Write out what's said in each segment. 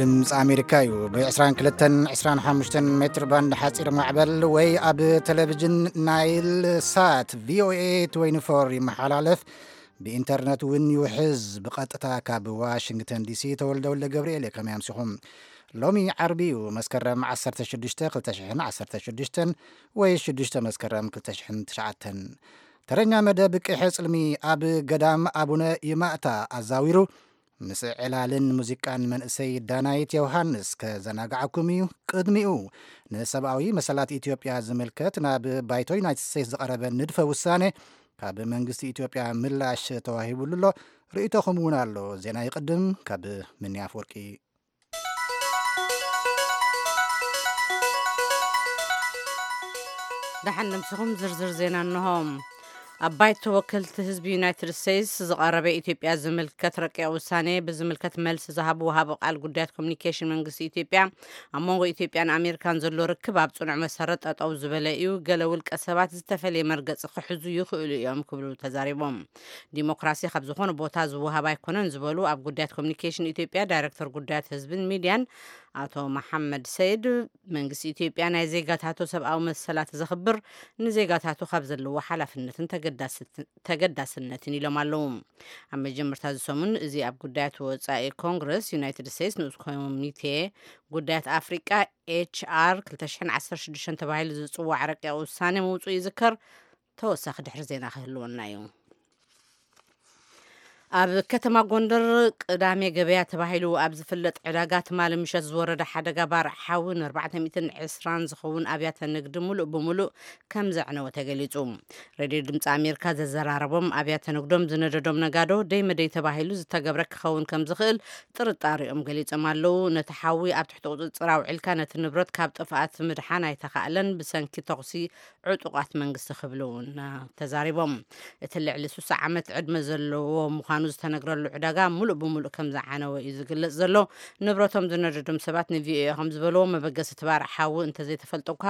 ድምፂ ኣሜሪካ እዩ። ብ22 25 ሜትር ባንድ ሓፂር ማዕበል ወይ ኣብ ቴሌቪዥን ናይል ሳት ቪኦኤ 24 ይመሓላለፍ። ብኢንተርነት እውን ይውሕዝ። ብቐጥታ ካብ ዋሽንግተን ዲሲ ተወልደ ወልደ ገብርኤል እየ። ከመይ ኣምሲኹም? ሎሚ ዓርቢ እዩ፣ መስከረም 16 2016 ወይ 6 መስከረም 2009። ተረኛ መደብ ቅሐ ጽልሚ ኣብ ገዳም ኣቡነ ይማእታ ኣዛዊሩ ምስ ዕላልን ሙዚቃን መንእሰይ ዳናይት ዮሃንስ ከዘናግዓኩም እዩ። ቅድሚኡ ንሰብኣዊ መሰላት ኢትዮጵያ ዝምልከት ናብ ባይቶ ዩናይትድ ስቴትስ ዝቐረበ ንድፈ ውሳኔ ካብ መንግስቲ ኢትዮጵያ ምላሽ ተዋሂቡሉ ኣሎ። ርእይቶኹም እውን ኣሎ። ዜና ይቕድም። ካብ ምንያ ኣፈወርቂ። ደሓን ነምስኹም ዝርዝር ዜና እንሆ። ኣብ ባይቶ ወከልቲ ህዝቢ ዩናይትድ ስቴትስ ዝቐረበ ኢትዮጵያ ዝምልከት ረቂቕ ውሳኔ ብዝምልከት መልሲ ዝሃቡ ወሃቢ ቃል ጉዳያት ኮሚኒኬሽን መንግስቲ ኢትዮጵያ፣ ኣብ መንጎ ኢትዮጵያን ኣሜሪካን ዘሎ ርክብ ኣብ ጽኑዕ መሰረት ጠጠው ዝበለ እዩ፣ ገለ ውልቀ ሰባት ዝተፈለየ መርገጺ ክሕዙ ይኽእሉ እዮም ክብሉ ተዛሪቦም። ዲሞክራሲ ካብ ዝኾነ ቦታ ዝወሃብ ኣይኮነን ዝበሉ ኣብ ጉዳያት ኮሚኒኬሽን ኢትዮጵያ ዳይሬክተር ጉዳያት ህዝብን ሚዲያን ኣቶ መሓመድ ሰይድ፣ መንግስቲ ኢትዮጵያ ናይ ዜጋታቱ ሰብኣዊ መሰላት ዘኽብር፣ ንዜጋታቱ ካብ ዘለዎ ሓላፍነትን ተገዳስት-፣ ተገዳስነትን ኢሎም ኣለዉ። ኣብ መጀመርታ እዚ ሰሙን እዚ ኣብ ጉዳያት ወጻኢ ኮንግረስ ዩናይትድ ስቴትስ ንኡስ ኮሚቴ ጉዳያት ኣፍሪቃ ኤች ኣር 2016 ተባሂሉ ዝጽዋዕ ረቂቕ ውሳኔ ምውጽኡ ይዝከር። ተወሳኺ ድሕሪ ዜና ክህልወና እዩ። ኣብ ከተማ ጎንደር ቅዳሜ ገበያ ተባሂሉ ኣብ ዝፍለጥ ዕዳጋ ትማሊ ምሸት ዝወረደ ሓደጋ ባርዕ ሓዊ ን420 ዝኸውን ኣብያተ ንግዲ ሙሉእ ብሙሉእ ከም ዘዕነወ ተገሊጹ። ሬድዮ ድምፂ ኣሜሪካ ዘዘራረቦም ኣብያተ ንግዶም ዝነደዶም ነጋዶ ደይ መደይ ተባሂሉ ዝተገብረ ክኸውን ከም ዝኽእል ጥርጣሬኦም ገሊጾም ኣለዉ። ነቲ ሓዊ ኣብ ትሕቲ ቁፅፅር ኣውዒልካ ነቲ ንብረት ካብ ጥፍኣት ምድሓን ኣይተኻእለን፣ ብሰንኪ ተኹሲ ዕጡቓት መንግስቲ ክብሉ እውን ተዛሪቦም። እቲ ልዕሊ 60 ዓመት ዕድመ ዘለዎ ምዃኑ ዝተነግረሉ ዕዳጋ ሙሉእ ብሙሉእ ከም ዝዓነወ እዩ ዝግለጽ ዘሎ። ንብረቶም ዝነደዶም ሰባት ንቪኦኤ ከም ዝበልዎ፣ መበገሲ እቲ ባርዕ ሓዊ እንተዘይተፈልጠ እኳ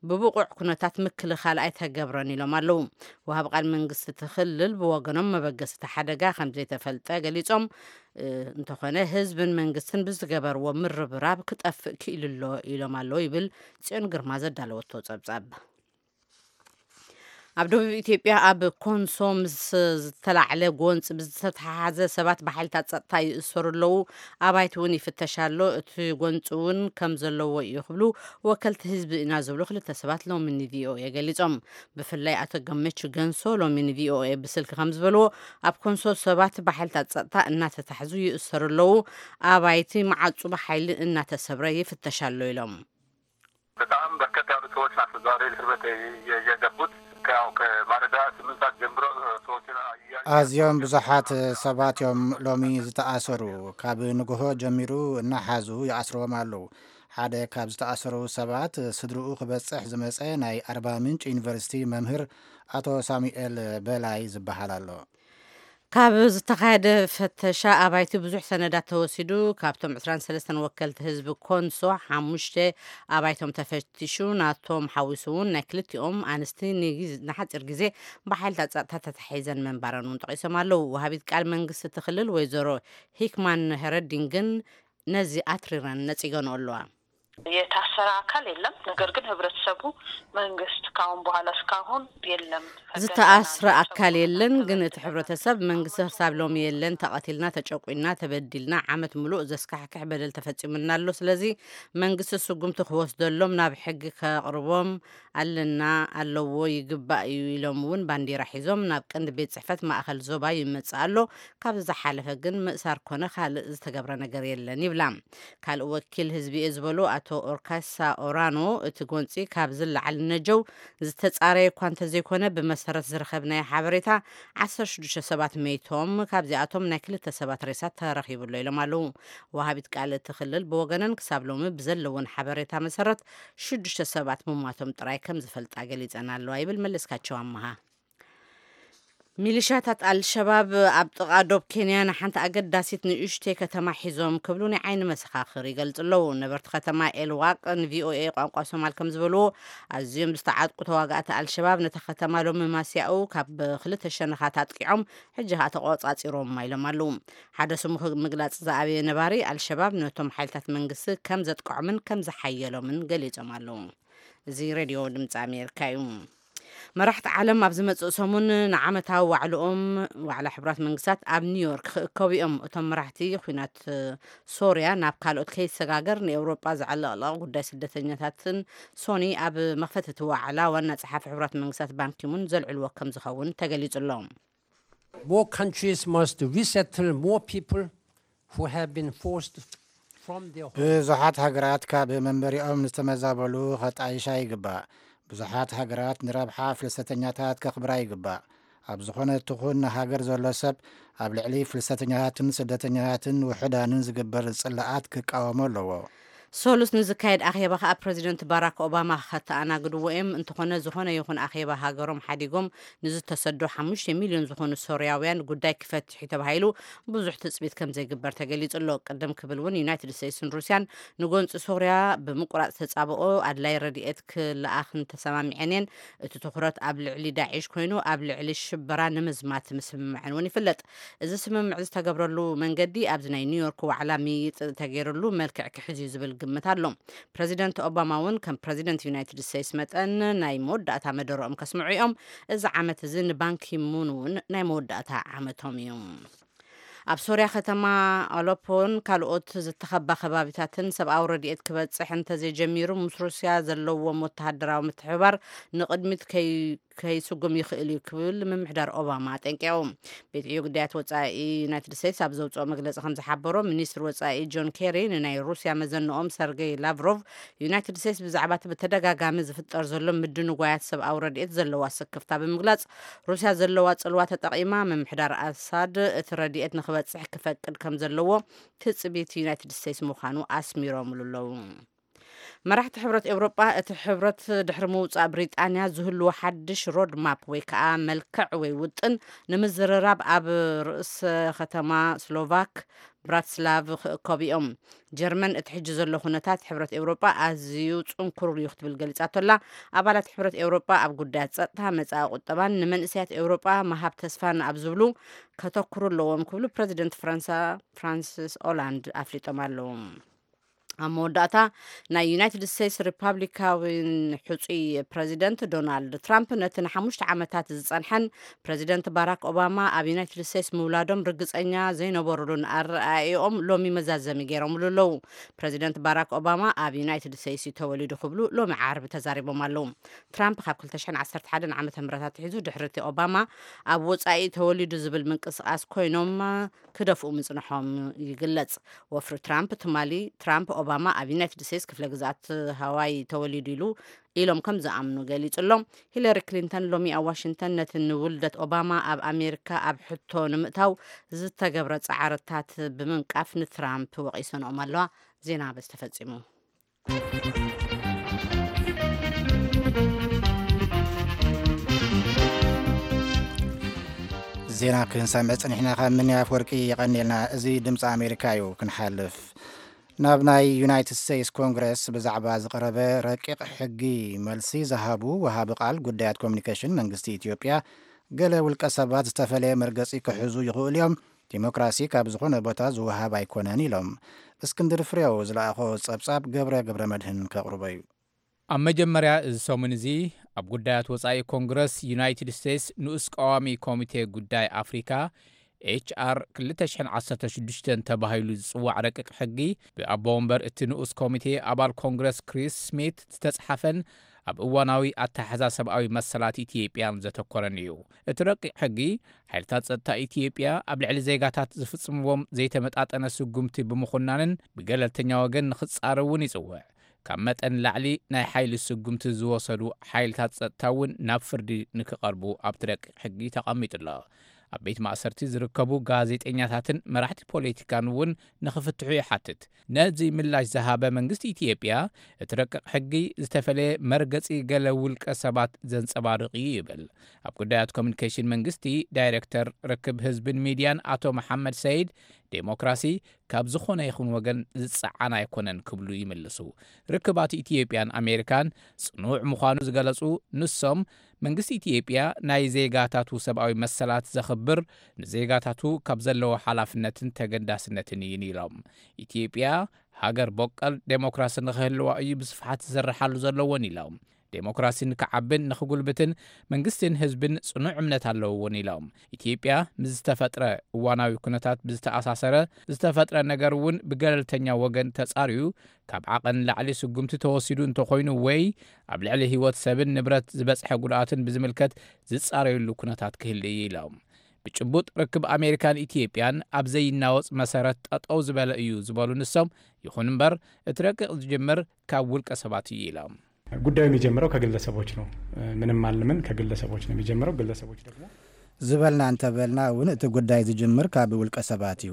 ብብቑዕ ኩነታት ምክልኻል ኣይተገብረን ኢሎም ኣለዉ። ወሃቢ ቃል መንግስቲ እቲ ክልል ብወገኖም መበገሲ እቲ ሓደጋ ከም ዘይተፈልጠ ገሊጾም፣ እ፣ እንተኾነ ህዝብን መንግስትን ብዝገበርዎ ምርብራብ ክጠፍእ ክኢሉ ኣሎ ኢሎም ኣለዉ ይብል ጽዮን ግርማ ዘዳለወቶ ጸብጻብ። ኣብ ደቡብ ኢትዮጵያ ኣብ ኮንሶ ምስ ዝተላዕለ ጎንፂ ብዝተተሓሓዘ ሰባት ብሓይልታት ጸጥታ ይእሰሩ ኣለዉ፣ ኣባይቲ እውን ይፍተሽ ኣሎ፣ እቲ ጎንፂ እውን ከም ዘለዎ እዩ ክብሉ ወከልቲ ህዝቢ ኢና ዝብሉ ክልተ ሰባት ሎሚ ንቪኦኤ ገሊጾም። ብፍላይ ኣቶ ገመቹ ገንሶ ሎሚ ንቪኦኤ ብስልኪ ከም ዝበልዎ፣ ኣብ ኮንሶ ሰባት ብሓይልታት ጸጥታ እናተታሕዙ ይእሰሩ ኣለዉ፣ ኣባይቲ መዓጹ ብሓይሊ እናተሰብረ ይፍተሽ ኣሎ ኢሎም። በጣም በርከት ያሉ ሰዎች ናቸው ዛሬ እስር ቤት የ-፣ የገቡት። ያው ከማለዳ 8 ሰዓት ጀምሮ ሰዎችን አያ-፣ ኣዝዮም ብዙሓት ሰባት እዮም ሎሚ ዝተኣሰሩ። ካብ ንግሆ ጀሚሩ እናሓዙ ይኣስርዎም ኣለዉ። ሓደ ካብ ዝተኣሰሩ ሰባት ስድርኡ ክበጽሕ ዝመጸ ናይ ኣርባ ምንጭ ዩኒቨርሲቲ መምህር ኣቶ ሳሙኤል በላይ ዝበሃል ኣሎ። ካብ ዝተኻየደ ፈተሻ ኣባይቲ ብዙሕ ሰነዳት ተወሲዱ። ካብቶም 23 ወከልቲ ህዝቢ ኮንሶ ሓሙሽተ ኣባይቶም ተፈቲሹ። ናቶም ሓዊሱ እውን ናይ ክልቲኦም ኣንስቲ ንጊዝ-፣ ንሓፂር ግዜ ብሓይልታት ጸጥታ ተታሒዘን መንባረን እውን ጠቒሶም ኣለዉ። ወሃቢት ቃል መንግስቲ እቲ ክልል ወይዘሮ ሂክማን ሄረዲን ግን ነዚ ኣትሪረን ነጺገንኦ ኣለዋ። የታሰረ አካል የለም። ነገር ግን ህብረተሰቡ፣ መንግስት ካሁን በኋላ እስካሁን የለም። ዝተኣስረ ኣካል የለን፣ ግን እቲ ሕብረተሰብ መንግስቲ ክሳብ ሎሚ የለን፣ ተቐቲልና፣ ተጨቁና፣ ተበዲልና፣ ዓመት ሙሉእ ዘስካሕክሕ በደል ተፈጺሙና ኣሎ። ስለዚ መንግስቲ ስጉምቲ ክወስደሎም ናብ ሕጊ ከቕርቦም ኣለና፣ ኣለዎ፣ ይግባእ እዩ ኢሎም እውን ባንዲራ ሒዞም ናብ ቀንዲ ቤት ጽሕፈት ማእኸል ዞባ ይመጽእ ኣሎ። ካብ ዝሓለፈ ግን ምእሳር ኮነ ካልእ ዝተገብረ ነገር የለን ይብላ። ካልእ ወኪል ህዝቢ እየ ዝበሉ ኣቶ ኦርካሳ ኦራኖ፣ እቲ ጎንፂ ካብ ዝለዓል ነጀው ዝተፃረየ እኳ እንተዘይኮነ፣ ብመሰረት ዝረኸብናዮ ሓበሬታ 16 ሰባት መይቶም፣ ካብዚኣቶም ናይ ክልተ ሰባት ሬሳ ተረኺቡ ኣሎ ኢሎም ኣለዉ። ወሃቢት ቃል እቲ ክልል ብወገነን ክሳብ ሎሚ ብዘለወን ሓበሬታ መሰረት ሽዱሽተ ሰባት ምሟቶም ጥራይ ከም ዝፈልጣ ገሊፀን ኣለዋ ይብል መለስካቸው ኣመሃ። ሚሊሻታት ኣልሸባብ ኣብ ጥቓ ዶብ ኬንያ ንሓንቲ ኣገዳሲት ንእሽተይ ከተማ ሒዞም ክብሉ ናይ ዓይኒ መሰኻኽር ይገልጹ ኣለዉ። ነበርቲ ከተማ ኤልዋቅ ንቪኦኤ ቋንቋ ሶማል ከም ዝበልዎ፣ ኣዝዮም ዝተዓጥቁ ተዋጋእቲ ኣልሸባብ ነታ ከተማ ሎሚ ማስያኡ ካብ ክልተ ሸነኻት ኣጥቂዖም፣ ሕጂ ከኣ ተቖጻጺሮማ ኢሎም ኣለዉ። ሓደ ስሙ ምግላጽ ዝኣበየ ነባሪ፣ ኣልሸባብ ነቶም ሓይልታት መንግስቲ ከም ዘጥቅዖምን ከም ዝሓየሎምን ገሊጾም ኣለዉ። እዚ ሬድዮ ድምፂ ኣሜሪካ እዩ። መራሕቲ ዓለም ኣብ ዝመጽእ ሰሙን ንዓመታዊ ዋዕልኦም፣ ዋዕላ ሕቡራት መንግስታት ኣብ ኒውዮርክ ክእከቡ እዮም። እቶም መራሕቲ፣ ኲናት ሶርያ ናብ ካልኦት ከይሰጋገር ንኤውሮጳ ዘዕለቕለቕ ጉዳይ ስደተኛታትን ሶኒ ኣብ መኽፈቲ እቲ ዋዕላ ዋና ጸሓፊ ሕቡራት መንግስታት ባንኪሙን ዘልዕልዎ ከም ዝኸውን ተገሊጹ ኣሎ። More countries must resettle more people who have been forced from their homes. ብዙሓት ሃገራት ካብ መንበሪኦም ዝተመዛበሉ ከጣይሻ ይግባእ። ብዙሓት ሃገራት ንረብሓ ፍልሰተኛታት ከኽብራ ይግባእ። ኣብ ዝኾነ ትኹን ሃገር ዘሎ ሰብ ኣብ ልዕሊ ፍልሰተኛታትን ስደተኛታትን ውሑዳንን ዝግበር ጽላኣት ክቃወሞ ኣለዎ። ሰሉስ ንዝካየድ ኣኼባ ከኣ ፕረዚደንት ባራክ ኦባማ ከተኣናግድዎ እዮም። እንተኾነ፣ ዝኾነ ይኹን ኣኼባ ሃገሮም ሓዲጎም ንዝተሰዶ ሓሙሽተ ሚልዮን ዝኾኑ ሶርያውያን ጉዳይ ክፈትሕ እዩ ተባሂሉ ብዙሕ ትጽቢት ከም ዘይግበር ተገሊጹ ኣሎ። ቅድም ክብል እውን ዩናይትድ ስቴትስን ሩስያን ንጎንጺ ሶርያ ብምቁራጽ ተጻብኦ ኣድላይ ረድኤት ክለኣኽን ተሰማሚዐን እየን። እቲ ትኹረት ኣብ ልዕሊ ዳዒሽ ኮይኑ፣ ኣብ ልዕሊ ሽበራ ንምዝማት ምስምማዕን እውን ይፍለጥ። እዚ ስምምዕ ዝተገብረሉ መንገዲ ኣብዚ ናይ ኒውዮርክ ዋዕላ ምይይጥ ተገይሩሉ መልክዕ ክሕዝ እዩ ዝብል ግምት ኣሎ። ፕረዚደንት ኦባማ እውን ከም ፕረዚደንት ዩናይትድ ስቴትስ መጠን ናይ መወዳእታ መደረኦም ከስምዑ እዮም። እዚ ዓመት እዚ ንባንኪሙን እውን ናይ መወዳእታ ዓመቶም እዩ። ኣብ ሶርያ ከተማ ኣለፖን ካልኦት ዝተኸባ ከባቢታትን ሰብኣዊ ረድኤት ክበጽሕ እንተዘይጀሚሩ፣ ምስ ሩስያ ዘለዎም ወተሃደራዊ ምትሕብባር ንቕድሚት ከይ- ከይስጉም ይኽእል እዩ ክብል ምምሕዳር ኦባማ ኣጠንቂቑ። ቤት ዕዮ ጉዳያት ወጻኢ ዩናይትድ ስቴትስ ኣብ ዘውፅኦ መግለፂ ከም ዝሓበሮ፣ ሚኒስትር ወጻኢ ጆን ኬሪ ንናይ ሩስያ መዘንኦም ሰርጌይ ላቭሮቭ፣ ዩናይትድ ስቴትስ ብዛዕባ እቲ ብተደጋጋሚ ዝፍጠር ዘሎ ምድንጓያት ሰብኣዊ ረድኤት ዘለዋ ስክፍታ ብምግላጽ፣ ሩስያ ዘለዋ ጽልዋ ተጠቒማ ምምሕዳር ኣሳድ እቲ ረድኤት ንኽበጽሕ ክፈቅድ ከም ዘለዎ ትጽቢት ዩናይትድ ስቴትስ ምዃኑ ኣስሚሮምሉ ኣለዉ። መራሕቲ ሕብረት ኤውሮጳ፣ እቲ ሕብረት ድሕሪ ምውጻእ ብሪጣንያ ዝህልዎ ሓድሽ ሮድ ማፕ ወይ ከኣ መልክዕ ወይ ውጥን ንምዝርራብ ኣብ ርእሰ ከተማ ስሎቫክ ብራትስላቭ ክእከቡ እዮም። ጀርመን እቲ ሕጂ ዘሎ ኩነታት ሕብረት ኤውሮጳ ኣዝዩ ጽንኩር እዩ ክትብል ገሊጻቶ ኣላ። ኣባላት ሕብረት ኤውሮጳ ኣብ ጉዳያት ጸጥታ፣ መጻኢ ቁጠባን ንመንእሰያት ኤውሮጳ ምሃብ ተስፋን ኣብ ዝብሉ ከተኩሩ ኣለዎም ክብሉ ፕረዚደንት ፈረንሳ ፍራንሲስ ኦላንድ ኣፍሊጦም ኣለዉ። ኣብ መወዳእታ ናይ ዩናይትድ ስቴትስ ሪፓብሊካዊን ሕፁይ ፕረዚደንት ዶናልድ ትራምፕ ነቲ ንሓሙሽተ ዓመታት ዝፀንሐን ፕረዚደንት ባራክ ኦባማ ኣብ ዩናይትድ ስቴትስ ምውላዶም ርግፀኛ ዘይነበሩሉን ኣረኣእኦም ሎሚ መዛዘሚ ገይሮምሉ ኣለዉ። ፕረዚደንት ባራክ ኦባማ ኣብ ዩናይትድ ስቴትስ እዩ ተወሊዱ ክብሉ ሎሚ ዓርቢ ተዛሪቦም ኣለዉ። ትራምፕ ካብ ክልተ ሽሕን ዓሰርተ ሓደን ዓመተ ምህረት ኣትሒዙ ድሕሪ እቲ ኦባማ ኣብ ወፃኢ ተወሊዱ ዝብል ምንቅስቃስ ኮይኖም ክደፍኡ ምጽንሖም ይግለጽ። ወፍሪ ትራምፕ ትማሊ ትራምፕ ኦባማ ኣብ ዩናይትድ ስቴትስ ክፍለ ግዝኣት ሃዋይ ተወሊዱ ኢሉ ኢሎም ከም ዝኣምኑ ገሊጹ ኣሎ። ሂለሪ ክሊንተን ሎሚ ኣብ ዋሽንግተን ነቲ ንውልደት ኦባማ ኣብ ኣሜሪካ ኣብ ሕቶ ንምእታው ዝተገብረ ጻዕርታት ብምንቃፍ ንትራምፕ ወቒሰንኦም ኣለዋ። ዜና በዚ ተፈጺሙ። ዜና ክንሰምዕ ጽኒሕና ካብ ምንያፍ ወርቂ የቐኒልና። እዚ ድምፂ ኣሜሪካ እዩ። ክንሓልፍ ናብ ናይ ዩናይትድ ስቴትስ ኮንግረስ ብዛዕባ ዝቐረበ ረቂቕ ሕጊ መልሲ ዝሃቡ ወሃቢ ቃል ጉዳያት ኮሚኒኬሽን መንግስቲ ኢትዮጵያ፣ ገለ ውልቀ ሰባት ዝተፈለየ መርገፂ ክሕዙ ይኽእሉ እዮም፣ ዲሞክራሲ ካብ ዝኾነ ቦታ ዝወሃብ ኣይኮነን ኢሎም። እስክንድር ፍሬው ዝለኣኾ ጸብጻብ ገብረ ገብረ መድህን ከቕርቦ እዩ። ኣብ መጀመርያ እዚ ሰሙን እዚ ኣብ ጉዳያት ወጻኢ ኮንግረስ ዩናይትድ ስቴትስ ንኡስ ቀዋሚ ኮሚቴ ጉዳይ ኣፍሪካ ኤች ኣር ክልተ ሽሕን ዓሰርተ ሽዱሽተን ተባሂሉ ዝጽዋዕ ረቂቕ ሕጊ ብኣቦ ወንበር እቲ ንኡስ ኮሚቴ ኣባል ኮንግረስ ክሪስ ስሚት ዝተጽሓፈን ኣብ እዋናዊ ኣተሓሕዛ ሰብኣዊ መሰላት ኢትዮጵያን ዘተኮረን እዩ። እቲ ረቂቕ ሕጊ ሓይልታት ጸጥታ ኢትዮጵያ ኣብ ልዕሊ ዜጋታት ዝፍጽምዎም ዘይተመጣጠነ ስጉምቲ ብምኹናንን ብገለልተኛ ወገን ንኽጻረውን ይጽውዕ። ካብ መጠን ላዕሊ ናይ ሓይሊ ስጉምቲ ዝወሰዱ ሓይልታት ጸጥታ እውን ናብ ፍርዲ ንክቐርቡ ኣብቲ ረቂቕ ሕጊ ተቐሚጡ ኣሎ። ኣብ ቤት ማእሰርቲ ዝርከቡ ጋዜጠኛታትን መራሕቲ ፖለቲካን እውን ንኽፍትሑ ይሓትት። ነዚ ምላሽ ዝሃበ መንግስቲ ኢትዮጵያ፣ እቲ ረቂቕ ሕጊ ዝተፈለየ መርገጺ ገለ ውልቀ ሰባት ዘንጸባርቕ እዩ ይብል። ኣብ ጉዳያት ኮሚኒኬሽን መንግስቲ ዳይሬክተር ርክብ ህዝብን ሚድያን ኣቶ መሓመድ ሰይድ፣ ዴሞክራሲ ካብ ዝኾነ ይኹን ወገን ዝጸዓን ኣይኮነን ክብሉ ይምልሱ። ርክባት ኢትዮጵያን ኣሜሪካን ጽኑዕ ምዃኑ ዝገለጹ ንሶም፣ መንግስቲ ኢትዮጵያ ናይ ዜጋታቱ ሰብኣዊ መሰላት ዘኽብር፣ ንዜጋታቱ ካብ ዘለዎ ሓላፍነትን ተገዳስነትን እዩን ኢሎም። ኢትዮጵያ ሃገር በቀል ዴሞክራሲ ንኽህልዋ እዩ ብስፍሓት ዝስርሓሉ ዘለዎን ኢሎም። ዴሞክራሲ ንክዓብን ንክጉልብትን መንግስትን ህዝብን ጽኑዕ እምነት ኣለውዎን ኢሎም። ኢትዮጵያ ምስ ዝተፈጥረ እዋናዊ ኩነታት ብዝተኣሳሰረ ዝተፈጥረ ነገር እውን ብገለልተኛ ወገን ተጻርዩ ካብ ዓቐን ላዕሊ ስጉምቲ ተወሲዱ እንተኾይኑ ወይ ኣብ ልዕሊ ህይወት ሰብን ንብረት ዝበጽሐ ጉድኣትን ብዝምልከት ዝጻረዩሉ ኩነታት ክህሉ እዩ ኢሎም። ብጭቡጥ ርክብ ኣሜሪካን ኢትዮጵያን ኣብ ዘይናወጽ መሰረት ጠጠው ዝበለ እዩ ዝበሉ ንሶም፣ ይኹን እምበር እቲ ረቂቕ ዝጅምር ካብ ውልቀ ሰባት እዩ ኢሎም። ጉዳዩ የሚጀምረው ከግለሰቦች ነው። ምንም አልምን ከግለሰቦች ነው የሚጀምረው። ግለሰቦች ደግሞ ዝበልና እንተበልና እውን እቲ ጉዳይ ዝጅምር ካብ ውልቀ ሰባት እዩ።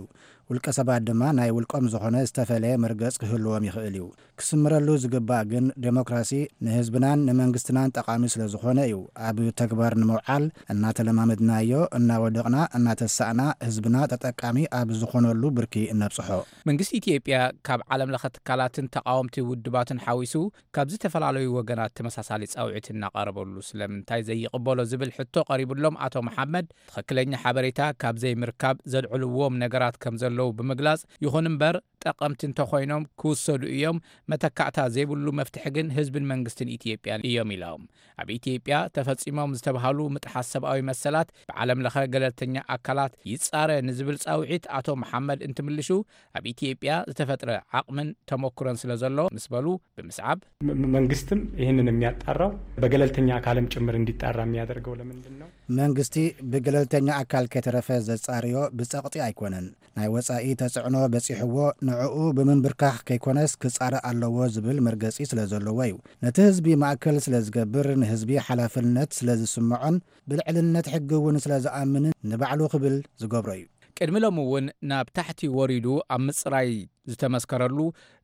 ውልቀ ሰባት ድማ ናይ ውልቆም ዝኾነ ዝተፈለየ መርገጽ ክህልዎም ይኽእል እዩ። ክስምረሉ ዝግባእ ግን ዴሞክራሲ ንህዝብናን ንመንግስትናን ጠቓሚ ስለ ዝኾነ እዩ ኣብ ተግባር ንምውዓል እናተለማመድናዮ እናወደቕና እናተሳእና ህዝብና ተጠቃሚ ኣብ ዝኾነሉ ብርኪ እነብጽሖ። መንግስቲ ኢትዮጵያ ካብ ዓለም ለኸ ትካላትን ተቓወምቲ ውድባትን ሓዊሱ ካብ ዝተፈላለዩ ወገናት ተመሳሳሊ ጻውዒት እናቐረበሉ ስለምንታይ ዘይቕበሎ ዝብል ሕቶ ቀሪቡሎም ኣቶ መሓመድ፣ ትኽክለኛ ሓበሬታ ካብ ዘይምርካብ ዘልዕልዎም ነገራት ከም ዘለዉ ብምግላጽ፣ ይኹን እምበር ጠቐምቲ እንተኾይኖም ክውሰዱ እዮም፣ መተካእታ ዘይብሉ መፍትሒ ግን ህዝብን መንግስትን ኢትዮጵያን እዮም ኢሎም። ኣብ ኢትዮጵያ ተፈጺሞም ዝተብሃሉ ምጥሓስ ሰብኣዊ መሰላት ብዓለም ለኸ ገለልተኛ ኣካላት ይጻረ ንዝብል ጻውዒት ኣቶ መሓመድ እንትምልሹ፣ ኣብ ኢትዮጵያ ዝተፈጥረ ዓቕምን ተሞክሮን ስለ ዘሎ ምስ በሉ ብምስዓብ፣ መንግስትም ይህንን የሚያጣራው በገለልተኛ አካልም ጭምር እንዲጣራ የሚያደርገው ለምንድን ነው? መንግስቲ ብገለልተኛ ኣካል ከይተረፈ ዘጻርዮ ብጸቕጢ ኣይኮነን። ናይ ወጻኢ ተጽዕኖ በጺሕዎ ንዕኡ ብምንብርካኽ ከይኮነስ ክጻረ ኣለዎ ዝብል መርገጺ ስለ ዘለዎ እዩ። ነቲ ህዝቢ ማእከል ስለ ዝገብር፣ ንህዝቢ ሓላፍነት ስለ ዝስምዖን ብልዕልነት ሕጊ እውን ስለ ዝኣምንን ንባዕሉ ክብል ዝገብሮ እዩ። ቅድሚ ሎሚ እውን ናብ ታሕቲ ወሪዱ ኣብ ምጽራይ ዝተመስከረሉ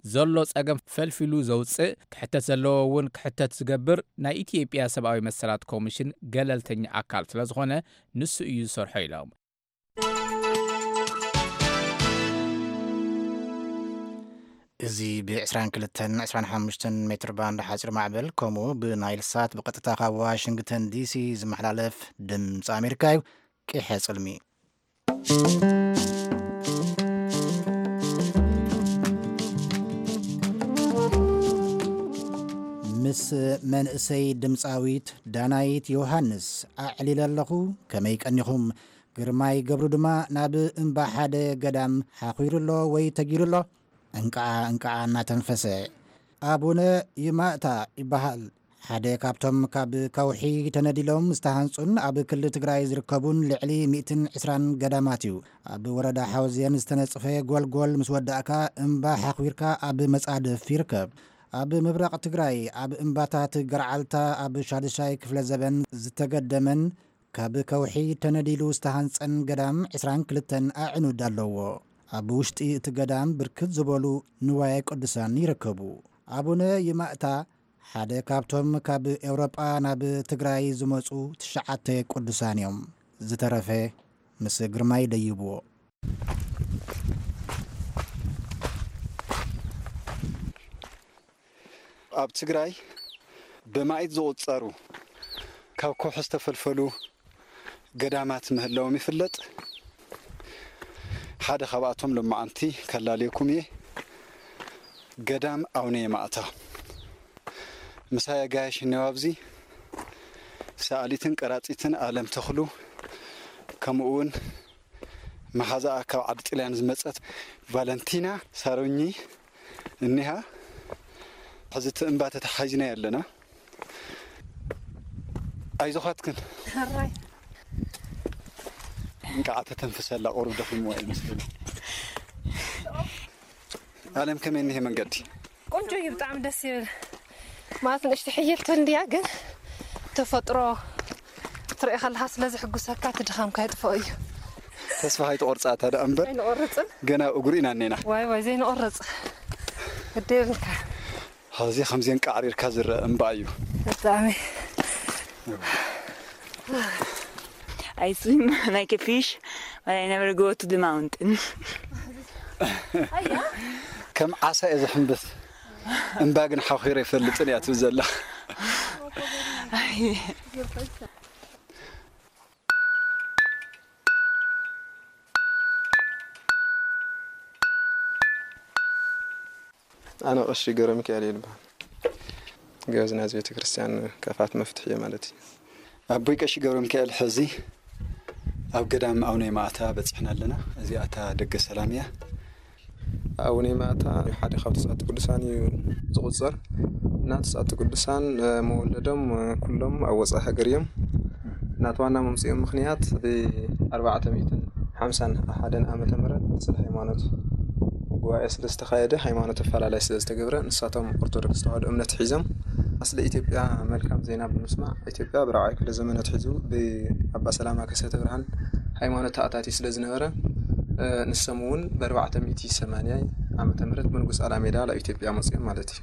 ዘሎ ጸገም ፈልፊሉ ዘውጽእ፣ ክሕተት ዘለዎ እውን ክሕተት ዝገብር ናይ ኢትዮጵያ ሰብኣዊ መሰላት ኮሚሽን ገለልተኛ ኣካል ስለ ዝኾነ ንሱ እዩ ዝሰርሖ ኢሎም። እዚ ብ22 25 ሜትር ባንድ ሓፂር ማዕበል ከምኡ ብናይል ሳት ብቐጥታ ካብ ዋሽንግተን ዲሲ ዝመሓላለፍ ድምፂ ኣሜሪካ እዩ። ቂሐ ፅልሚ ምስ መንእሰይ ድምፃዊት ዳናይት ዮሃንስ ኣዕሊለ ኣለኹ። ከመይ ቀኒኹም? ግርማይ ገብሩ ድማ ናብ እምባ ሓደ ገዳም ሓኺሩ ኣሎ ወይ ተጊሩ ኣሎ። እንቃዓ እንቃዓ እናተንፈሰ። ኣቡነ ይማእታ ይበሃል። ሓደ ካብቶም ካብ ከውሒ ተነዲሎም ዝተሃንጹን ኣብ ክልል ትግራይ ዝርከቡን ልዕሊ ሚእትን ዕስራን ገዳማት እዩ። ኣብ ወረዳ ሓውዜን ዝተነጽፈ ጎልጎል ምስ ወዳእካ እምባ ሓኺርካ ኣብ መጻድፍ ይርከብ። ኣብ ምብራቕ ትግራይ ኣብ እምባታት ገርዓልታ ኣብ ሻድሻይ ክፍለ ዘበን ዝተገደመን ካብ ከውሒ ተነዲሉ ዝተሃንጸን ገዳም ዕስራን ክልተን ኣዕኑድ ኣለዎ። ኣብ ውሽጢ እቲ ገዳም ብርክት ዝበሉ ንዋየ ቅዱሳን ይርከቡ። ኣቡነ ይማእታ ሓደ ካብቶም ካብ ኤውሮጳ ናብ ትግራይ ዝመጹ ትሽዓተ ቅዱሳን እዮም። ዝተረፈ ምስ ግርማይ ደይብዎ። ኣብ ትግራይ ብማኢት ዝቑጸሩ ካብ ከውሒ ዝተፈልፈሉ ገዳማት ምህላዎም ይፍለጥ። ሓደ ካብኣቶም ሎማዓንቲ ከላልየኩም እየ። ገዳም ኣቡነ የማእታ ምሳይ ኣጋይሽ እኒኦ ኣብዚ ሰኣሊትን ቀራጺትን ኣለም ተኽሉ ከምኡ እውን መሓዛኣ ካብ ዓዲ ጥልያን ዝመጸት ቫለንቲና ሳሮኚ እኒሃ። ሕዚ እቲ እምባ ተተሓሒዝናዮ ኣለና። ኣይዞኻትክን ሕራይ እንቃዓ ተተንፍሰላ ቁሩብ ደኺምዋ እዩ መስለኒ። ኣለም ከመይ እኒሄ መንገዲ? ቆንጆ እዩ፣ ብጣዕሚ ደስ ይብል። ማለት ንእሽቲ ሕይልቲ እንድያ ግን ተፈጥሮ ክትርኢ ከለኻ ስለ ዝሕጉሰካ እቲ ድኻምካ ይጥፍኦ እዩ። ተስፋ ኣይትቆርፃ እታ ደኣ እምበር ኣይንቆርፅን። ገና እግሩ ኢና እኔና። ዋይ ዋይ ዘይንቆርፅ ግዲ የብልካ። ሕዚ ከምዚአን ቃዕሪርካ ዝረአ እምባ እዩ። ብጣዕሚ I swim like a fish, but I never go to the mountain. ከም ዓሳ እየ ዝሕምብስ እምባ ግን ሓኺረ ይፈልጥን እያ ትብል ዘላ። ኣነ ቀሺ ገብረ ሚካኤል እየ ዝበሃል። ገበዝ ናይዚ ቤተ ክርስቲያን ከፋት መፍትሒ እየ ማለት እዩ። ኣቦይ ቀሺ ገብረ ሚካኤል ሕዚ ኣብ ገዳም ኣቡነ ማእታ በፂሕና ኣለና። እዚኣ እታ ደገ ሰላም እያ። ኣቡነ ማእታ ሓደ ካብ ተስዓቱ ቅዱሳን እዩ ዝቑፀር እና ተስዓቱ ቅዱሳን መወለዶም ኩሎም ኣብ ወፃኢ ሃገር እዮም። ናቲ ዋና መምፅኦም ምኽንያት ብ ኣርባዕተ ሚእትን ሓምሳን ሓደን ዓመተ ምህረት ስለ ሃይማኖት ጉባኤ ስለ ዝተኻየደ ሃይማኖት ኣፈላላይ ስለ ዝተገብረ ንሳቶም ኦርቶዶክስ ተዋህዶ እምነት ሒዞም ኣስለ ኢትዮጵያ መልካም ዜና ብምስማዕ ኢትዮጵያ ብራብዓይ ክፍለ ዘመን ኣትሒዙ ብኣባ ሰላማ ከሰተ ብርሃን ሃይማኖት ተኣታቲ ስለ ዝነበረ ንሶም እውን ብኣርባዕተ ሚእቲ ሰማንያ ዓመተ ምህረት ብንጉስ ኣላሜዳ ላብ ኢትዮጵያ መፅኦም ማለት እዩ።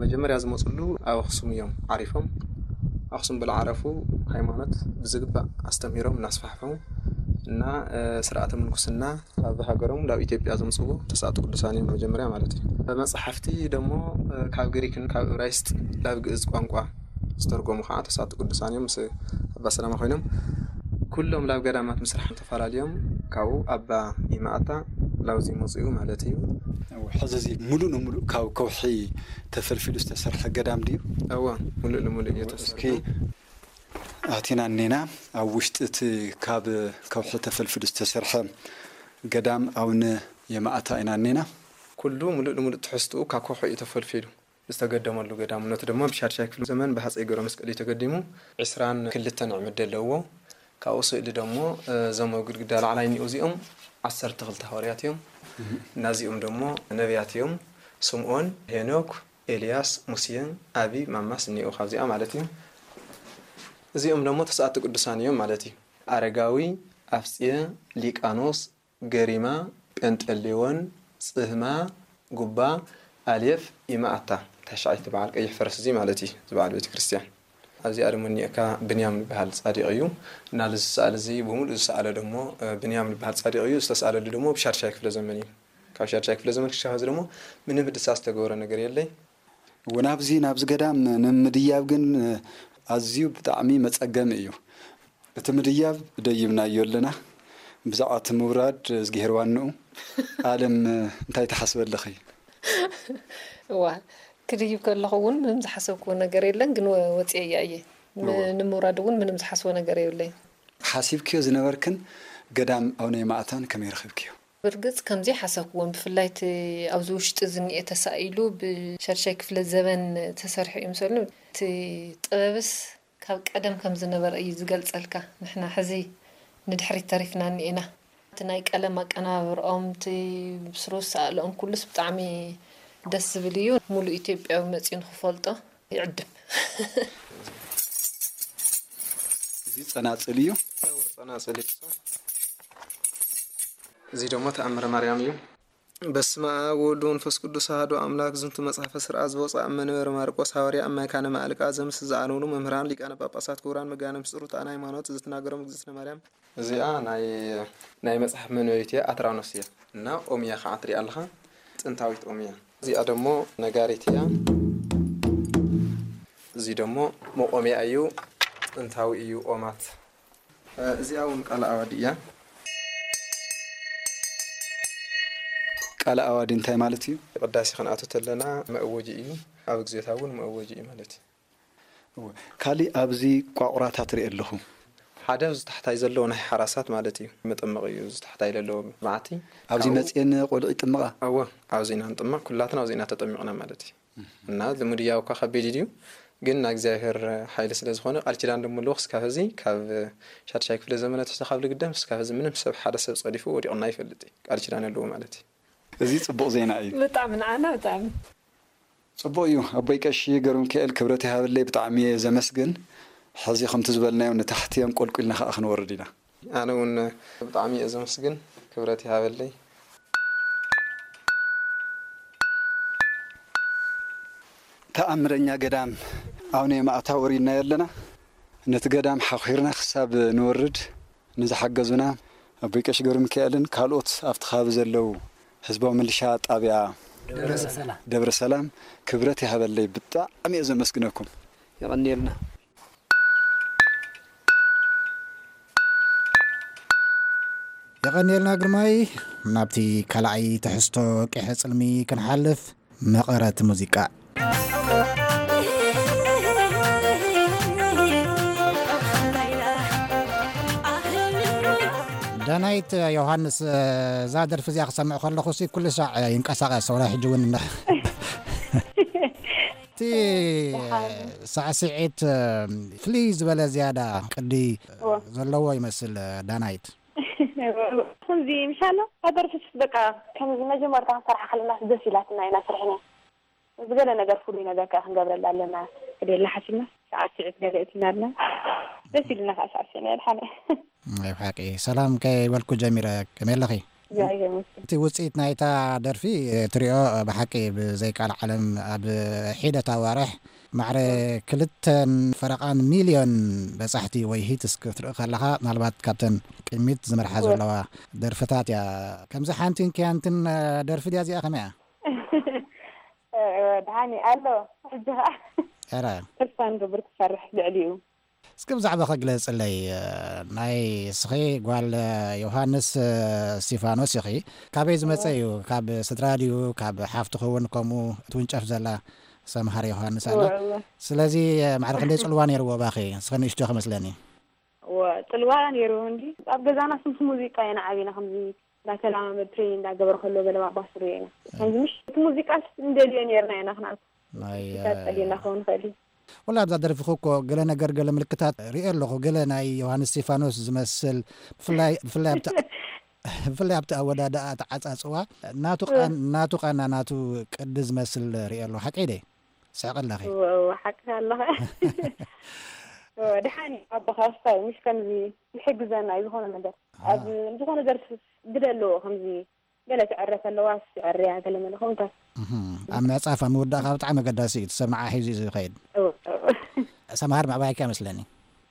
መጀመርያ ዝመፅሉ ኣብ ኣክሱም እዮም ዓሪፎም። ኣክሱም ብልዓረፉ ሃይማኖት ብዝግባእ ኣስተምሂሮም እናስፋሕፈው እና ስርዓተ ምንኩስና ካብ ሃገሮም ናብ ኢትዮጵያ ዘምፅዎ ተስዓቱ ቅዱሳን እዮም መጀመርያ ማለት እዩ። መፅሓፍቲ ደሞ ካብ ግሪክን ካብ እብራይስጥ ናብ ግእዝ ቋንቋ ዝተርጎሙ ከዓ ተስዓቱ ቅዱሳን እዮም ምስ ኣባ ሰላማ ኮይኖም ኩሎም ናብ ገዳማት ምስራሕ ተፈላለዮም ካብኡ ኣባ ይማኣታ ላውዚ መፅኡ ማለት እዩ። ሕዚ እዚ ሙሉእ ንሙሉእ ካብ ከውሒ ተፈልፊሉ ዝተሰርሐ ገዳም ድዩ? እወ ሙሉእ ንሙሉእ እየ ተሰርሑ። ኣቲና እኔና ኣብ ውሽጢ እቲ ካብ ከውሒ ተፈልፊሉ ዝተሰርሐ ገዳም ኣቡነ የማእታ ኢና እኔና። ኩሉ ሙሉእ ንሙሉእ ትሕዝትኡ ካብ ከውሒ እዩ ተፈልፊሉ። ዝተገደመሉ ገዳምነቱ ድማ ብሻድሻይ ክፍለ ዘመን ብሃፀይ ገብረ መስቀል እዩ ተገዲሙ። ዕስራን ክልተን ዕምዲ ኣለዎ። ካብኡ ስእሊ ደሞ እዞም ኣብ ግድግዳ ላዕላይ እኒኡ እዚኦም ዓሰርተ ክልተ ሃዋርያት እዮም። እናዚኦም ደሞ ነቢያት እዮም። ስምኦን፣ ሄኖክ፣ ኤልያስ፣ ሙሴ፣ ኣቢ፣ ማማስ እኒኡ ካብዚኣ ማለት እዩ። እዚኦም ደሞ ተስኣቲ ቅዱሳን እዮም ማለት እዩ። ኣረጋዊ፣ ኣፍፅየ፣ ሊቃኖስ፣ ገሪማ፣ ጴንጠሌዎን፣ ጽህማ፣ ጉባ፣ ኣሌፍ፣ ኢመኣታ፣ ታሽዓይቲ በዓል ቀይሕ ፈረስ እዚ ማለት እዩ፣ እዚ በዓል ቤተ ክርስቲያን። ኣብዚኣ ደሞ እኒኤካ ብንያም ዝበሃል ጻዲቕ እዩ። እና እዚ ዝሰኣለ እዚ ብምሉእ ዝሰኣለ ደሞ ብንያም ዝበሃል ጻዲቕ እዩ። ዝተሰኣለሉ ደሞ ብሻድሻይ ክፍለ ዘመን እዩ። ካብ ሻድሻይ ክፍለ ዘመን ክሻብ ሕዚ ደሞ ምንም ህድሳ ዝተገበረ ነገር የለይ። ወናብዚ ናብዚ ገዳም ንምድያብ ግን ኣዝዩ ብጣዕሚ መጸገሚ እዩ። እቲ ምድያብ ደይብናዮ ኣለና። ብዛዕባ እቲ ምውራድ እዝግሄር ዋንኡ። ኣለም እንታይ ትሓስቢ ኣለኺ? እዋ ክድይብ ከለኹ እውን ምንም ዝሓሰብክዎ ነገር የለን፣ ግን ወ- ወፂኤያ እየ። ም- እዋ። ንምውራድ እውን ምንም ዝሓስቦ ነገር የብለይን። ሓሲብክዮ ዝነበርክን ገዳም ኣቡነ ማእታን ከመይ ረኺብክዮ? ብርግፅ ከምዚ ሓሰብክዎን ብፍላይ እቲ ኣብዚ ውሽጢ ዝኒኤ ተሳኢሉ ብሻድሻይ ክፍለ ዘበን ተሰሪሑ እዩ ምሰሉ እቲ ጥበብስ ካብ ቀደም ከም ዝነበረ እዩ ዝገልጸልካ። ንሕና ሕዚ ንድሕሪት ተሪፍና እኒኤና። እቲ ናይ ቀለም ኣቀነባብርኦም፣ እቲ ብስሩ ዝሰኣልኦም ኩሉስ ብጣዕሚ ደስ ዝብል እዩ። ሙሉእ ኢትዮጵያዊ መፂኡ ንክፈልጦ ይዕድም። እዚ ጸናጽል እዩ። ጸናጽል እዩ። እዚ ደሞ ተኣምረ ማርያም እዩ። በስመ ኣብ ወወልድ ወመንፈስ ቅዱስ ኣሐዱ ኣምላክ። ዝንቱ መጽሐፈ ስርዓት ዘወፅኣ እመ ንበር ማርቆስ ሃዋርያ እማይ ካነ ማዕልቃ ዘምስ ዝኣነውኑ መምህራን ሊቃነ ጳጳሳት ክቡራን መጋነ ምስጢሩ ተኣን ሃይማኖት ዝትናገሮም እግዝእትነ ማርያም። እዚኣ ናይ ናይ መጽሓፍ መንበቢት እያ ኣትራኖስ እያ እና ኦምያ ከዓ ትሪኣ ኣለኻ ጥንታዊት ኦምያ። እዚኣ ደሞ ነጋሪት እያ። እዚ ደሞ መቆምያ እዩ ጥንታዊ እዩ ኦማት። እዚኣ እውን ቃለ ኣዋዲ እያ። ቃለ ኣዋዲ እንታይ ማለት እዩ? ቅዳሴ ክንኣቱ ተለና መእወጂ እዩ። ኣብ ግዜታ እውን መእወጂ እዩ ማለት እዩ። እወ። ካሊእ ኣብዚ ቋቑራታት ርኢ ኣለኹ። ሓደ ኣብዚ ታሕታይ ዘለዎ ናይ ሓራሳት ማለት እዩ። መጠመቒ እዩ እዚ ታሕታይ ዘለዎ በዓቲ። ኣብዚ ካብኡ- መፅየን ቆልዑ ይጥምቓ? እወ ኣብዚ ኢና ንጥመቕ። ኩላትና ኣብዚ ኢና ተጠሚቕና ማለት እዩ። እና ልሙድ እያ እኳ ከቢድ ድዩ ግን ናይ እግዚኣብሔር ሓይሊ ስለ ዝኾነ ቃል ኪዳን ደሞ ኣለዎ ክስካብ ሕዚ ካብ ሻድሻይ ክፍለ ዘመነ ትሕቲ ካብ ልግደም ክስካብ ሕዚ ምንም ሰብ ሓደ ሰብ ጸዲፉ ወዲቑና ይፈልጥ እዩ ቃል ኪዳን ኣለዎ ማለት እዩ። እዚ ጽቡቕ ዜና እዩ። ብጣዕሚ ንዓና ብጣዕሚ ጽቡቕ እዩ ኣቦይ ቀሺ ገብረሚካኤል ክብረት ይሃበለይ ብጣዕሚ እየ ዘመስግን። ሕዚ ከምቲ ዝበልናዮ ንታሕቲ እዮም፣ ቆልቁልና ከዓ ክንወርድ ኢና። ኣነ እውን ብጣዕሚ እየ ዘመስግን፣ ክብረት ይሃበለይ። ተኣምረኛ ገዳም ኣቡነ የማእታ ወሪድናዮ ኣለና። ነቲ ገዳም ሓኺርና ክሳብ ንወርድ ንዝሓገዙና ኣቦይ ቀሺ ገብረ ሚካኤልን ካልኦት ኣብቲ ከባቢ ዘለዉ ህዝባዊ ምልሻ ጣብያ ደብረ ሰላም ክብረት ይሃበለይ። ብጣዕሚ እየ ዘመስግነኩም። የቐንየልና። የቐንየልና ግርማይ። ናብቲ ካልኣይ ትሕዝቶ ቂሐ ጽልሚ ክንሓልፍ፣ መቐረት ሙዚቃ። ዳናይት ዮሃንስ፣ እዛ ደርፊ እዚኣ ክሰምዕ ከለኹ ሲ ኩሉ ሳዕ ይንቀሳቐስ፣ ወላ ሕጂ እውን እንዳ-፣ እቲ ሳዕስዒት ፍልይ ዝበለ ዝያዳ ቅዲ እወ። ዘለዎ ይመስል። ዳናይት። ከምዚ ምሻሎ ሃገር ፍሽት በቃ ከምዚ መጀመርታ ክንሰርሓ ከለናስ ደስ ኢላትና ኢና ስርሕና። ዝገለ ነገር ፍሉይ ነገር ከ ክንገብረላ ኣለና። ክደላ ሓሲብና ሰዓት ስዒት ገለ እትና ኣለና። ደስ ኢልና ከዓ ሰዓት ስዒና የድሓነ። ናይ ብሓቂ ሰላም ከይበልኩ ጀሚረ። ከመይ ኣለኺ? እግዚኣብሔር ይመስገን። እቲ ውፅኢት ናይታ ደርፊ ትሪኦ ብሓቂ ብዘይ ቃል ዓለም ኣብ ሒደት ኣዋርሕ ማዕረ ክልተን ፈረቓን ሚልዮን በጻሕቲ ወይ ሂትስ ክትርኢ ከለኻ፣ ምናልባት ካብተን ቅድሚት ዝመርሓ ዘለዋ ደርፍታት እያ። ከምዚ ሓንቲን ክያንትን ደርፊ ድያ እዚኣ? ከመይ እያ? ደሓኒ ኣሎ። ሕጂ ኸዓ ተስፋ ንገብር ክሰርሕ ልዕሊኡ። እስኪ ብዛዕባኺ ግለጽለይ። ናይ እስኺ ጓል ዮሃንስ እስቲፋኖስ ኢኺ። ካበይ ዝመጸ እዩ? ካብ ስድራ ድዩ? ካብ ሓፍትኺ እውን ከምኡ ትውንጨፍ ዘላ ሰምሃር ዮሃንስ ኣላ። እወ፣ እወ። ስለዚ ማዕረ ክንደይ ጽልዋ ነይርዎ ባኺ? እስኺ ንእሽቶ ክመስለኒ። እወ፣ ጽልዋ ነይርዎ እንጂ ኣብ ገዛና ስምሲ ሙዚቃ ኢና ዓቢና፣ ከምዚ እንዳተለማመድ ትሬኒንግ እንዳገበረ ከሎ ገለ ባባስሩ ኢና። ከምዚ ምሽ እቲ ሙዚቃ እንደልዮ ነይርና ኢና ክንኣቱ። ናይ፣ ክሳብ ጸሊና ክኸውን ይኽእል እዩ። ወላ ኣብዛ ደርፊኹ እኮ ገለ ነገር፣ ገለ ምልክታት ሪኤ ኣለኹ። ገለ ናይ ዮሃንስ እስቲፋኖስ ዝመስል፣ ብፍላይ፣ ብፍላይ ኣብቲ፣ ብፍላይ ኣብቲ ኣወዳድኣ፣ ኣተዓጻጽዋ፣ ናቱ ቃን-፣ ናቱ ቃና፣ ናቱ ቅዲ ዝመስል ሪኤ ኣለኹ። ሓቀይ ደይ? ስሕቂ ኣለኺ። እወ፣ እወ፣ ሓቂ ኣለኻ። እወ፣ ደሓን እዩ ኣቦኻ፣ እስታይ፣ ምሽ ከምዚ ይሕግዘና እዩ ዝኾነ ነገር። ኣብ ዝኾነ ዘርፍ ግደ ኣለዎ፣ ከምዚ ገለ ትዕረ ከለዋ ትዕርያ፣ ገለ መለ ከምኡታት። እህ፣ ኣብ ምዕጻፍ፣ ኣብ ምውዳእካ ብጣዕሚ ኣገዳሲ እዩ። እቲ ሰብ ንዓ ሒዙ እዩ ዝኸይድ። እወ፣ እወ። ሰምሃር ምዕባይካ ይመስለኒ።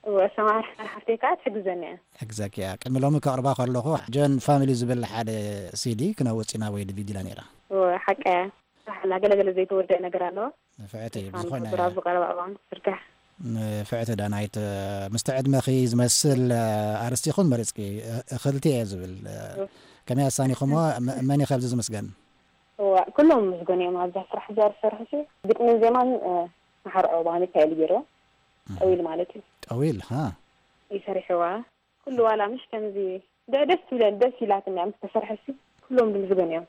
እወ፣ ሰምሃር ሓፍተይ ከዓ ትሕግዘኒ እያ። ሕግዘኪ እያ። ቅድሚ ሎሚ ከቕርባ ከለኹ፣ ጆን ፋሚሊ ዝብል ሓደ ሲዲ ክነውጽ ኢና ወይ ዲቪዲ ኢላ ነይራ። እወ፣ ሓቂ እያ። ሳሕላ ገለገለ ዘይተወደአ ነገር ኣለዎ። ንፍዕቲ፣ ተስፋ ብዝኾነ ንገብር ኣብ ዝቐረባ እዋን ክትዝርጋሕ። ንፍዕቲ ዳናይት፣ ምስቲ ዕድመኺ ዝመስል ኣርእስቲ ይኹን መሪጽኪ፣ እ-፣ እኽልቲ እየ ዝብል። እወ። ከመይ ኣሳኒኹሞ? መ-፣ መን እዩ ካብዚ ዝምስገን? እወ፣ ኩሎም ምስገን እዮም ኣብዛ ስራሕ እዚኣ ዝሰርሑ ሲ። ግጥምን ዜማን፣ እ፣ መሓርዖ ብሃ ሚካኤል ገይርዎ። እህ። ጠዊል ማለት እዩ። ጠዊል፣ ሃ? ይሰርሕዋ። ኩሉ ዋላ ምሽ ከምዚ ደ-፣ ደስ ትብለኒ፣ ደስ ኢላትኒ እያ ምስ ተሰርሐሲ፣ ኩሎም ድምዝገን እዮም።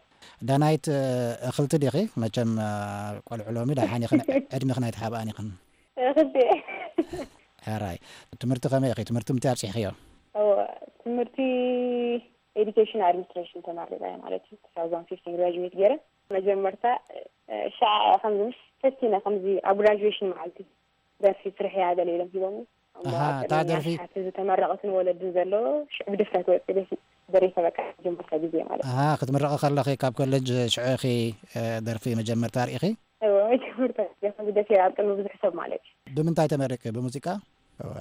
ዳናይት፣ እ፣ እኽልቲ ዲኺ? መቸም፣ እ፣ ቆልዑ ሎሚ ደሓን ኢኽን፣ ዕድሜኽን ኣይትሓብኣን ኢኽን። እኽልቲ። ሕራይ። ትምህርቲ ከመይ ኢኺ? ትምህርቲ ምንታይ ኣብጺሕኽዮ? እወ፣ ትምህርቲ ኤዱኬሽን ኣድሚኒስትሬሽን ተመሪቐ ማለት እዩ። ቱ ታውዘንድ ፊፍቲን ግራጁዌት ገይረ። መጀመርታ፣ እ፣ ሻዕ ከምዚ ምሽ ፈቲነ ከምዚ ኣብ ግራጁዌሽን መዓልቲ ደርፊ ስርሕያ ገለ ኢሎም ሂቦምኒ። እሞ ኣሃ፣ ኣብ እታ ቅድሚ ደርፊ ኣሽሓት ህዝቢ ተመረቕትን ወለድን ዘሎ ሽዑ ብድፍረት ወፂ ደፊ-፣ ደሪፈ በቃ መጀመርታ ግዜ ማለት እዩ። ኣሃ፣ ክትምረቒ ከለኺ ካብ ኮሌጅ ሽዑ ኢኺ፣ እ፣ ደርፊ መጀመርታ ርኢኺ? እወ፣ መጀመርታ ግዜ ከምዚ ደፊረ ኣብ ቅድሚ ብዙሕ ሰብ ማለት እዩ። ብምንታይ ተመሪቂ? ብሙዚቃ? እወ።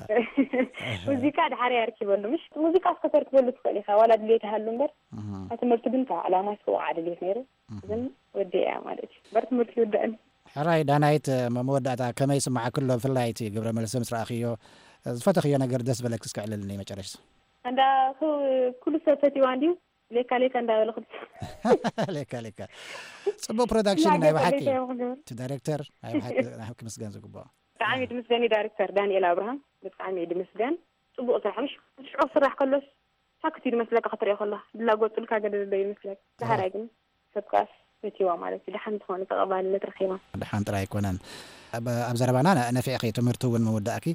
ሙዚቃ ድሓር እያ ኣርኪበሉ፣ ምሽ? ሙዚቃ እስከ ተርክበሉ ትኽእል ኢኻ፣ ዋላ ድሌት ይሃሉ እምበር፣ እህ። ኣብ ትምህርቲ ግን ካብ ዕላማ ስውዓ ድሌት ነይሩ። እህ። ግን ወዲኣ ማለት እዩ። በር ትምህርቲ ይውዳእን። ሕራይ ዳናይት፣ ም-፣ መወዳእታ ከመይ ይስምዓኪ ኣሎ? ብፍላይ እቲ ግብረ መልሲ ምስ ረኣኽዮ፣ ዝፈተኽዮ ነገር ደስ በለኪ እስከ ዕልልኒ መጨረሽታ። እንዳ ኩ-፣ ኩሉ ሰብ ፈትዋ እንድዩ፣ ሌካ ሌካ እንዳበለ ክልተ። ሌካ ሌካ። ጽቡቕ ፕሮዳክሽን ናይ ብሓቂ። ሌካ ሌካ እዮም ክገብሩ። እቲ ዳይሬክተር ናይ ብሓቂ፣ ናይ ክምስገን ዝግብኦ። ብጣዕሚ ድምስገን እዩ ዳይሬክተር ዳንኤል ኣብርሃም፣ ብጣዕሚ እዩ ድምስገን። ጽቡቕ ስራሕ፣ ምሽ ሽዑ ክስራሕ ከሎስ ሳክት እዩ ዝመስለካ ክትሪኦ ከለኻ፣ ድላጎጽልካ ገለ ዘሎ እዩ ዝመስለካ። ደሓራይ ግን ሰብ ከኣስ ፈትዋ ማለት እዩ። ደሓን ዝኾነ ተቐባልነት ረኺባ። ደሓን ጥራይ ኣይኮነን። ኣብ፣ ኣብ ዘረባና ነ-፣ ነፊዕኺ፣ ትምህርቲ እውን ምውዳእኪ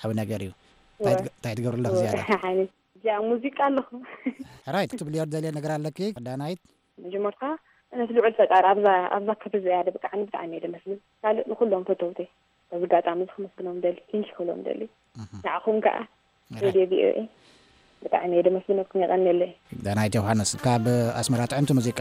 ዓቢ ነገር እዩ። እንታይ እወ። ትገ-፣ እንታይ ትገብሪ ኣለኺ እወ፣ ዝያዳ? ደሓን። እዚኣ ሙዚቃ ኣለኹ። ሕራይ፣ ክትብልዮ ትደልዮ ነገር ኣለኪ? ዳናይት? መጀመርታ፣ ነቲ ልዑል ፈጣሪ ኣብዛ፣ ኣብዛ ክብ እዚኣ ደብቅዓኒ ብጣዕሚ እየ ደመስግን። ካልእ ንኹሎም ፈተውተይ። በዚ ኣጋጣሚ እዚ ከመስግኖም ደሊ፣ ቲንኪ ክብሎም ደሊ። ንዓኹም ከዓ ሬድዮ ቪኦኤ ብጣዕሚ እየ ደመስግነኩም፣ የቐንየለይ። ዳናይት ዮሃንስ ካብ ኣስመራ ጥዕምቲ ሙዚቃ።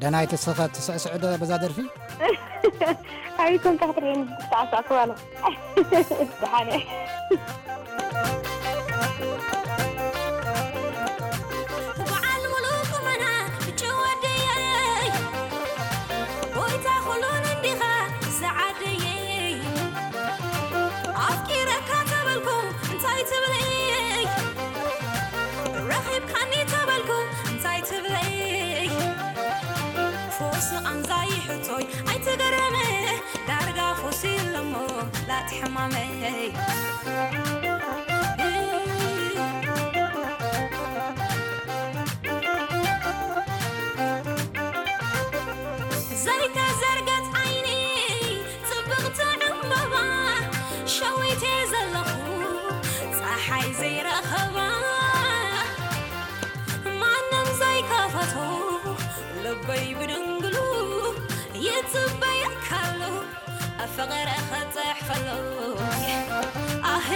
ደናይ ተሰኸ ትስዕስዕ ዶ በዛ ደርፊ? ኣይኮን ካትሪን ተዓሳእኩ ባለ። ደሓነ። በዓል ሙሉእ ቁመና ብጭወደየይ፣ ጎይታ ኩሉን እንዲኻ ሰዓደየይ። ኣፍቂረካ ተበልኩ እንታይ ትብለይ? ረኺብካኒ ተበልኩ እንታይ ትብለይ? ፎስ ቃንዛይ ሕቶይ ኣይትገረመ፣ ዳርጋ ፎስ ኢለሞ ላቲ ሕማመይ። ዘይተዘርገት ዓይኒ ጽብቕቲ ዕምበባ፣ ሸዊተ ዘለኹ ጸሓይ ዘይረኸባ፣ ማንም ዘይከፈቶ ልበይ ብድንግሉ ይጽበየካሉ፣ ፍቕሪ ክጽሕፈሉ። ኣህ።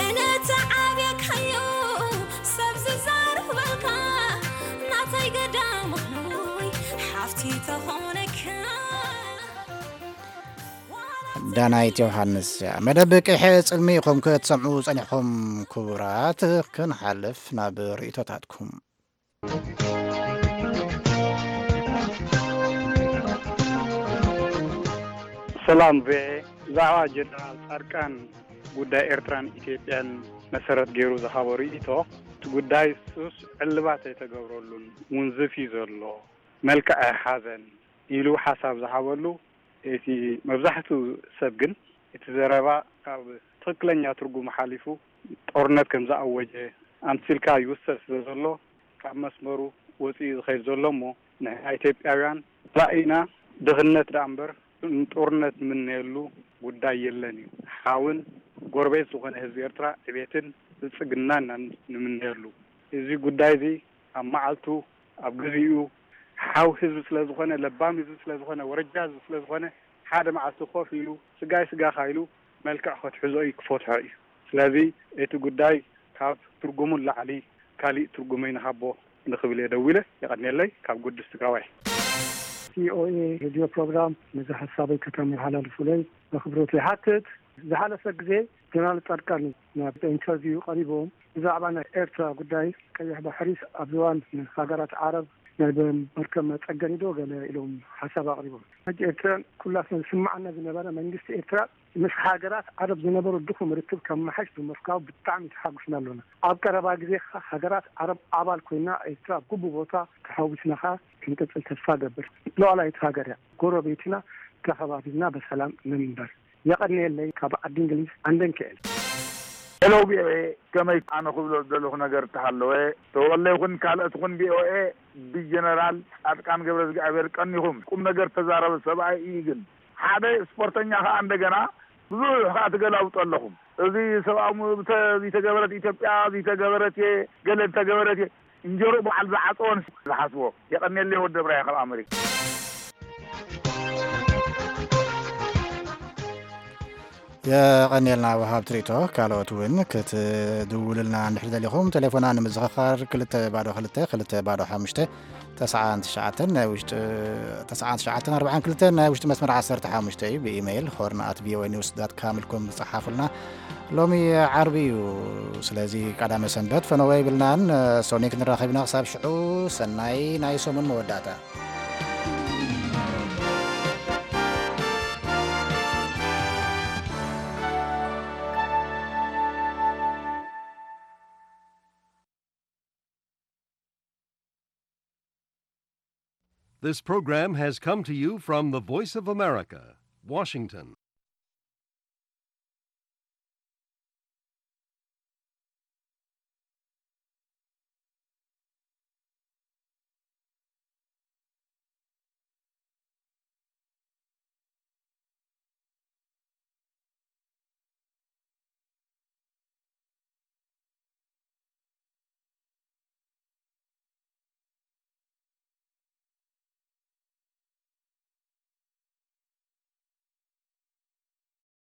እነ ተዓብየካዮ ሰብ ዝዛረበልካ፣ ናተይ ገዳም ኾይ ሓፍቲ ተኾነካ። ዳናይት ዮሃንስ እያ። መደብ ቅሐ ጽልሚ ኢኹም ክትሰምዑ ጸኒሕኩም ክቡራት። ክንሓልፍ ናብ ርእይቶታትኩም። ሰላም ቪኦኤ፣ ብዛዕባ ጀነራል ጻድቃን ጉዳይ ኤርትራን ኢትዮጵያን መሰረት ገይሩ ዝሃቦ ርእይቶ፣ እቲ ጉዳይ ሱስ ዕልባት ኣይተገብረሉን፣ ውንዝፍ እዩ ዘሎ፣ መልክዕ ኣይሓዘን ኢሉ ሓሳብ ዝሃበሉ፣ እቲ መብዛሕትኡ ሰብ ግን እቲ ዘረባ ካብ ትኽክለኛ ትርጉሙ ሓሊፉ ጦርነት ከም ዝኣወጀ ኣምሲልካ ይውሰድ ስለ ዘሎ፣ ካብ መስመሩ ወፂኡ ዝኸይድ ዘሎ እሞ፣ ንሕና ኢትዮጵያውያን ራእይና ድኽነት ደኣ እምበር ንጦርነት ንምነየሉ ጉዳይ የለን እዩ። ሓውን ጎረቤት ዝኾነ ህዝቢ ኤርትራ ዕቤትን ብልጽግናን ኢና ንምነየሉ። እዚ ጉዳይ እዚ ኣብ መዓልቱ፣ ኣብ ግዜኡ፣ ሓው ህዝቢ ስለ ዝኾነ፣ ለባም ህዝቢ ስለ ዝኾነ፣ ወረጃ ህዝቢ ስለ ዝኾነ፣ ሓደ መዓልቲ ኮፍ ኢሉ፣ ስጋይ ስጋኻ ኢሉ መልክዕ ከትሕዞ እዩ፣ ክፈትሖ እዩ። ስለዚ እቲ ጉዳይ ካብ ትርጉሙ ንላዕሊ ካሊእ ትርጉም ኣይንሃቦ ንኽብል እየ ደዊለ። የቐንየለይ። ካብ ጉድስ ትግራዋይ። ቪኦኤ ሬድዮ ፕሮግራም፣ ነዚ ሓሳበይ ከተመሓላልፉለይ በኽብሮት ይሓትት። ዝሓለፈ ግዜ ጀነራል ጻድቃን ናብ ኢንተርቪው ቀሪቦም ብዛዕባ ናይ ኤርትራ ጉዳይ ቀይሕ ባሕሪስ ኣብዚ እዋን ንሃገራት ዓረብ ናይ መርከብ መጸገኒ ዶ ገለ ኢሎም ሓሳብ ኣቕሪቦም። ሕጂ ኤርትራ ኩላትና ዝስምዓና ዝነበረ መንግስቲ ኤርትራ ምስ ሃገራት ዓረብ ዝነበሮ ድኹም ርክብ ከመሓሽ ብምርካቡ ብጣዕሚ ተሓጒስና ኣሎና። ኣብ ቀረባ ግዜ ከኣ ሃገራት ዓረብ ኣባል ኮይና ኤርትራ ኣብ ግቡእ ቦታ ተሓጒስና ከኣ ክንቅጽል ተስፋ እገብር። ሉዓላዊት ሃገር እያ። ጎረቤትና ተኸባቢርና ብሰላም ንምንበር። የቐንየለይ። ካብ ዓዲ እንግሊዝ ዓንደን ክኤል። ሄሎ ቪኦኤ፣ ከመይ? ኣነ ክብሎ ዝደለኹ ነገር እንተሃለወ፣ ተወለ ይኹን ካልኦት ይኹን ቪኦኤ ብጀነራል ጻድቃን ገብረዝግኣብሔር ቀኒኹም ቁም ነገር ተዛረበ ሰብኣይ እዩ። ግን ሓደ ስፖርተኛ ከኣ እንደገና ብዙሕ ከኣ ትገላብጡ ኣለኹም። እዚ ሰብኣዊ መብት ዘይተገበረት ኢትዮጵያ ዘይተገበረት እየ፣ ገለ እንተገበረት እየ። እንጀሮ በዓል ዝዓጸወን ዝሓስቦ። የቐንየለይ ወዲ ብራይ ካብ ኣመሪካ። የቐንየልና ወሃብ ትርኢቶ። ካልኦት እውን ክትድውሉልና እንድሕር ደሊኹም፣ ቴሌፎና ንምዝኽኻር ክልተ ባዶ ክልተ፣ ክልተ ባዶ ሓሙሽተ፣ ተስዓን ትሽዓተን ናይ ውሽጢ፣ ተስዓን ትሽዓተን ኣርባዓን ክልተን ናይ ውሽጢ መስመር ዓሰርተ ሓሙሽተ እዩ። ብኢሜይል ሆርን ኣት ቪኦኤ ኒውስ ዳት ካም ኢልኩም ጸሓፉልና። ሎሚ ዓርቢ እዩ። ስለዚ ቀዳመ ሰንበት ፈነወ ይብልናን፣ ሶኒ ክንራኸብ ኢና። ክሳብ ሽዑ ሰናይ ናይ ሰሙን መወዳእታ። This program has come to you from the Voice of America, Washington.